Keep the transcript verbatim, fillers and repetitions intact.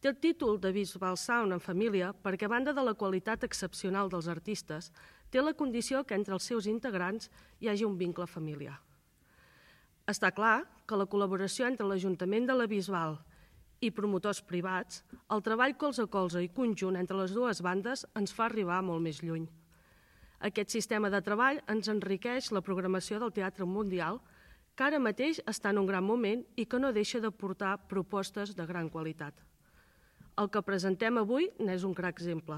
Té el títol de Bisbal Sound en família perquè, a banda de la qualitat excepcional dels artistes, té la condició que entre els seus integrants hi hagi un vincle familiar. Està clar que la col·laboració entre l'Ajuntament de la Bisbal i promotors privats, el treball colze a colze i conjunt entre les dues bandes ens fa arribar molt més lluny. Aquest sistema de treball ens enriqueix la programació del Teatre Mundial, que ara mateix està en un gran moment i que no deixa de portar propostes de gran qualitat. El que presentem avui n'és un clar exemple.